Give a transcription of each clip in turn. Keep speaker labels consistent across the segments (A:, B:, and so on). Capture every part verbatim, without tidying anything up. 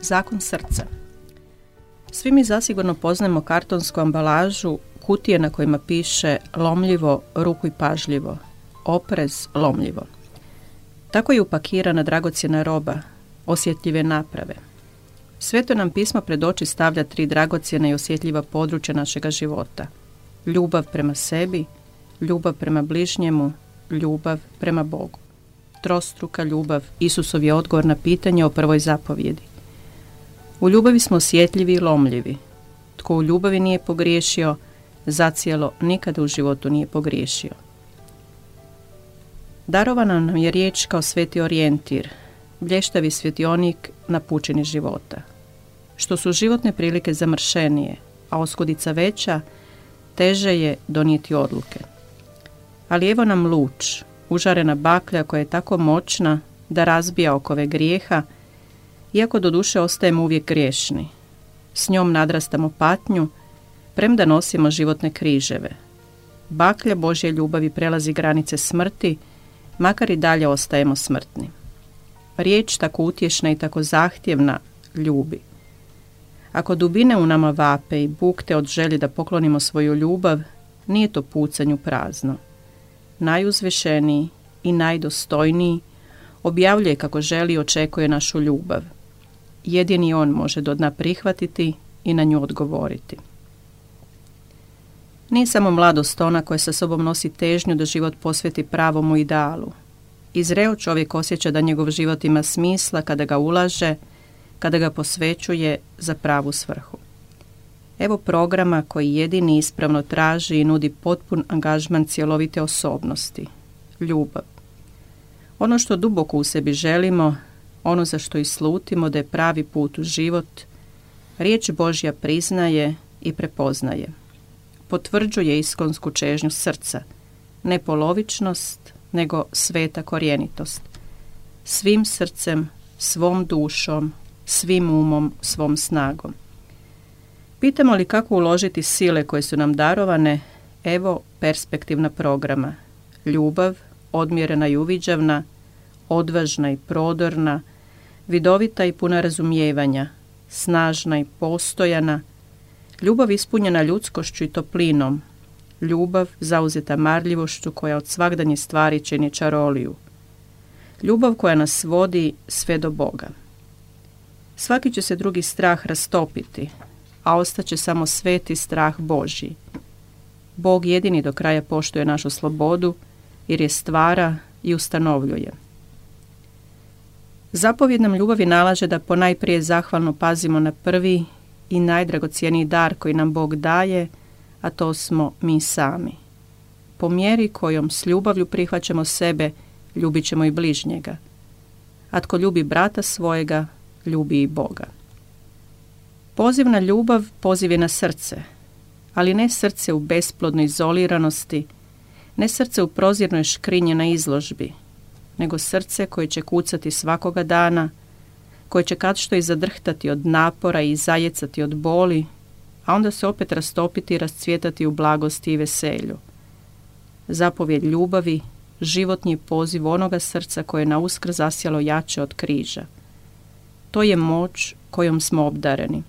A: Zakon srca. Svi mi zasigurno poznajemo kartonsku ambalažu, kutije na kojima piše lomljivo, rukuj pažljivo, oprez, lomljivo. Tako je upakirana dragocjena roba, osjetljive naprave. Sveto nam pismo pred oči stavlja tri dragocjena i osjetljiva područja našega života. Ljubav prema sebi, ljubav prema bližnjemu, ljubav prema Bogu. Trostruka ljubav, Isusov je odgovor na pitanje o prvoj zapovjedi. U ljubavi smo osjetljivi i lomljivi. Tko u ljubavi nije pogriješio, zacijelo nikada u životu nije pogriješio. Darovana nam je riječ kao sveti orijentir, blještavi svjetionik na pučini života. Što su životne prilike zamršenije, a oskudica veća, teže je donijeti odluke. Ali evo nam luč, užarena baklja koja je tako moćna da razbija okove grijeha, iako do duše ostajemo uvijek griješni. S njom nadrastamo patnju, premda nosimo životne križeve. Baklja Božje ljubavi prelazi granice smrti, makar i dalje ostajemo smrtni. Riječ tako utješna i tako zahtjevna ljubi. Ako dubine u nama vape i bukte od želje da poklonimo svoju ljubav, nije to pucanju prazno. Najuzvišeniji i najdostojniji objavljuje kako želi i očekuje našu ljubav. Jedini on može do dna prihvatiti i na nju odgovoriti. Nije samo mladost ona koja sa sobom nosi težnju da život posveti pravomu idealu. Izreo čovjek osjeća da njegov život ima smisla kada ga ulaže, kada ga posvećuje za pravu svrhu. Evo programa koji jedini ispravno traži i nudi potpun angažman cjelovite osobnosti. Ljubav. Ono što duboko u sebi želimo, ono za što i slutimo da je pravi put u život, riječ Božja priznaje i prepoznaje. Potvrđuje iskonsku čežnju srca, ne polovičnost, nego sveta korjenitost. Svim srcem, svom dušom, svim umom, svom snagom. Pitamo li kako uložiti sile koje su nam darovane? Evo perspektivna programa. Ljubav, odmjerena i uviđavna, odvažna i prodorna, vidovita i puna razumijevanja, snažna i postojana, ljubav ispunjena ljudskošću i toplinom, ljubav zauzeta marljivošću koja od svagdanje stvari čini čaroliju, ljubav koja nas vodi sve do Boga. Svaki će se drugi strah rastopiti, a ostaće samo sveti strah Božji. Bog jedini do kraja poštuje našu slobodu, jer je stvara i ustanovljuje. Zapovjed nam ljubavi nalaže da ponajprije zahvalno pazimo na prvi i najdragocjeniji dar koji nam Bog daje, a to smo mi sami. Po mjeri kojom s ljubavlju prihvaćamo sebe, ljubit ćemo i bližnjega. A tko ljubi brata svojega, ljubi i Boga. Poziv na ljubav, poziv je na srce, ali ne srce u besplodnoj izoliranosti, ne srce u prozirnoj škrinji na izložbi, nego srce koje će kucati svakoga dana, koje će kad što i zadrhtati od napora i zajecati od boli, a onda se opet rastopiti i rascvjetati u blagosti i veselju. Zapovjed ljubavi, životni poziv onoga srca koje je na uskrs zasjalo jače od križa. To je moć kojom smo obdareni.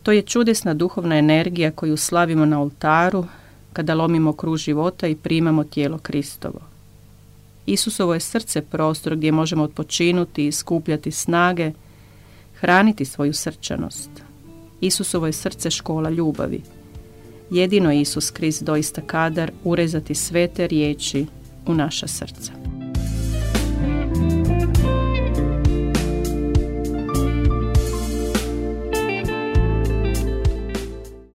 A: To je čudesna duhovna energija koju slavimo na oltaru kada lomimo kruž života i primamo tijelo Kristovo. Isusovo je srce prostor gdje možemo odpočinuti i skupljati snage, hraniti svoju srčanost. Isusovo je srce škola ljubavi. Jedino je Isus Krist doista kadar urezati sve te riječi u naša srca.